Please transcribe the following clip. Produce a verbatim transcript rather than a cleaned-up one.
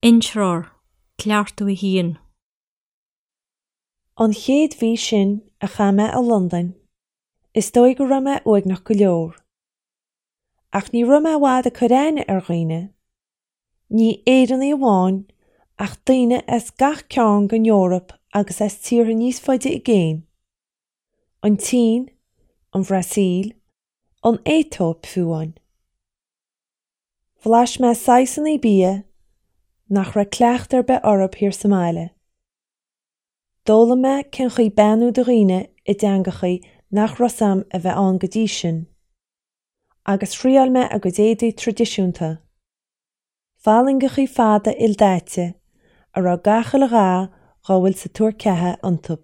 Intreoir, Cleachtadh a haon. An chéad mhí sin a chaith mé i Londain, is dóigh go raibh mé uaigneach go leor. Ach ní raibh mé i bhfad ag cur aithne ar dhaoine. Ní Éireannaigh amháin, ach daoine as gach cearn den Eoraip agus as tíortha níos faide i gcéin. An tSín, an Bhrasaíl, an Aetóip fiú amháin. Bhlais mé saghsanna bia nach raibh cleachtadh ar bith orthu thiar sa mbaile. D'fhoghlaim mé cén chaoi beannú do dhaoine i dteangachaí nach raibh 's a'm a bheith ann go dtí sin, agus thriáil mé a gcuid éadaí traidisiúnta. Fallaingeachaí fada ildaite a raibh gach uile dhath dhá bhfuil sa tuar ceatha iontu.